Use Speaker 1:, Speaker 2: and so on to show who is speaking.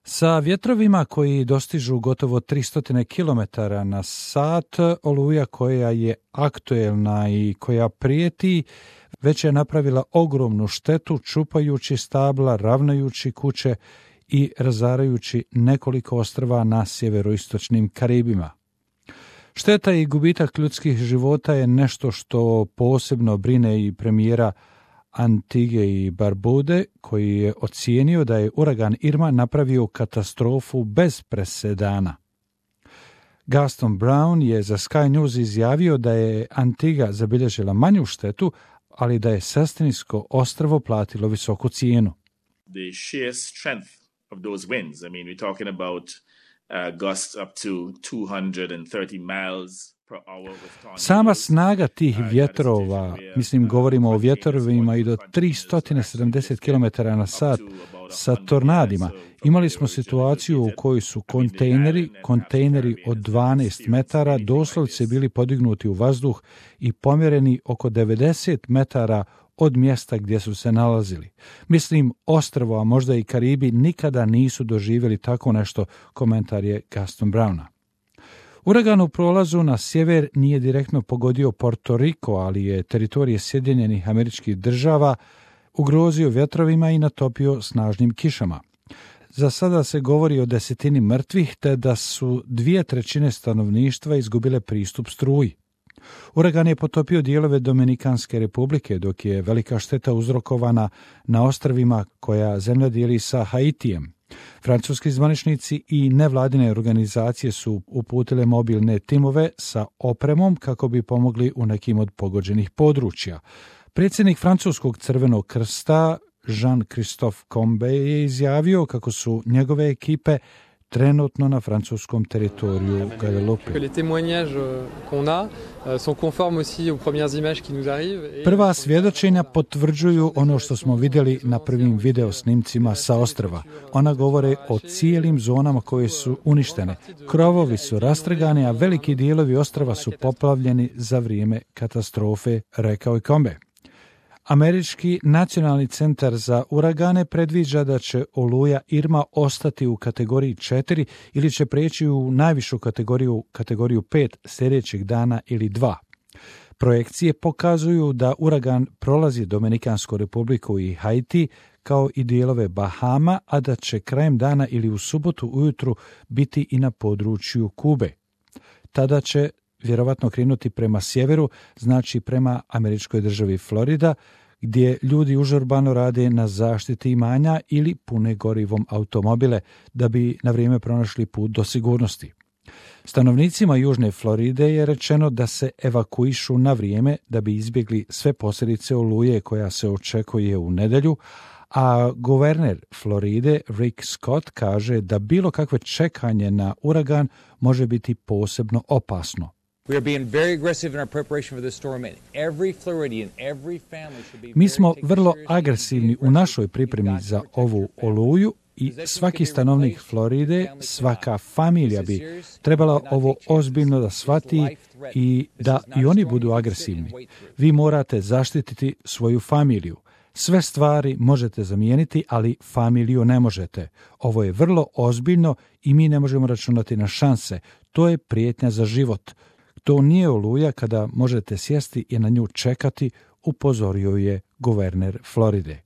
Speaker 1: Sa vjetrovima koji dostižu gotovo 300 km na sat, oluja koja je aktuelna i koja prijeti već je napravila ogromnu štetu čupajući stabla, ravnajući kuće i razarajući nekoliko ostrva na sjeveroistočnim Karibima. Šteta i gubitak ljudskih života je nešto što posebno brine i premijera Antige i Barbude, koji je ocijenio da je uragan Irma napravio katastrofu bez presedana. Gaston Brown je za Sky News izjavio da je Antiga zabilježila manju štetu, ali da je Sestinijsko ostrvo platilo visoku cijenu.
Speaker 2: The sheer strength of those winds, I mean, we're talking about gusts up to 230 miles.
Speaker 1: Sama snaga tih vjetrova, govorimo o vjetrovima i do 370 km na sat sa tornadima. Imali smo situaciju u kojoj su kontejneri od 12 metara doslovce bili podignuti u vazduh i pomjereni oko 90 metara od mjesta gdje su se nalazili. Ostrvo, a možda i Karibi, nikada nisu doživjeli tako nešto, komentar je Gaston Browna. Uragan u prolazu na sjever nije direktno pogodio Porto Riko, ali je teritorije Sjedinjenih Američkih Država ugrozio vjetrovima i natopio snažnim kišama. Za sada se govori o 10 mrtvih, te da su 2/3 stanovništva izgubile pristup struji. Uragan je potopio dijelove Dominikanske republike, dok je velika šteta uzrokovana na ostrvima koja zemlja dijeli sa Haitijem. Francuski zvaničnici i nevladine organizacije su uputile mobilne timove sa opremom kako bi pomogli u nekim od pogođenih područja. Predsjednik Francuskog Crvenog krsta Jean-Christophe Combe je izjavio kako su njegove ekipe trenutno na francuskom teritoriju Guadeloupe. Prva svjedočenja potvrđuju ono što smo vidjeli na prvim video snimcima sa ostrva. Ona govore o cijelim zonama koje su uništene. Krovovi su rastrgani, a veliki dijelovi ostrva su poplavljeni za vrijeme katastrofe, rekao je Combe. Američki nacionalni centar za uragane predviđa da će oluja Irma ostati u kategoriji 4 ili će preći u najvišu kategoriju 5 sljedećeg dana ili 2. Projekcije pokazuju da uragan prolazi Dominikansku republiku i Haiti kao i dijelove Bahama, a da će krajem dana ili u subotu ujutru biti i na području Kube. Tada će vjerovatno krenuti prema sjeveru, znači prema američkoj državi Florida, gdje ljudi užurbano rade na zaštiti imanja ili pune gorivom automobile da bi na vrijeme pronašli put do sigurnosti. Stanovnicima Južne Floride je rečeno da se evakuišu na vrijeme da bi izbjegli sve posljedice oluje koja se očekuje u nedjelju, a guverner Floride Rick Scott kaže da bilo kakve čekanje na uragan može biti posebno opasno. Mi smo vrlo agresivni u našoj pripremi za ovu oluju i svaki stanovnik Floride, svaka familija bi trebala ovo ozbiljno da shvati i da i oni budu agresivni. Vi morate zaštititi svoju familiju. Sve stvari možete zamijeniti, ali familiju ne možete. Ovo je vrlo ozbiljno i mi ne možemo računati na šanse. To je prijetnja za život. To nije oluja kada možete sjesti i na nju čekati, upozorio je guverner Floride.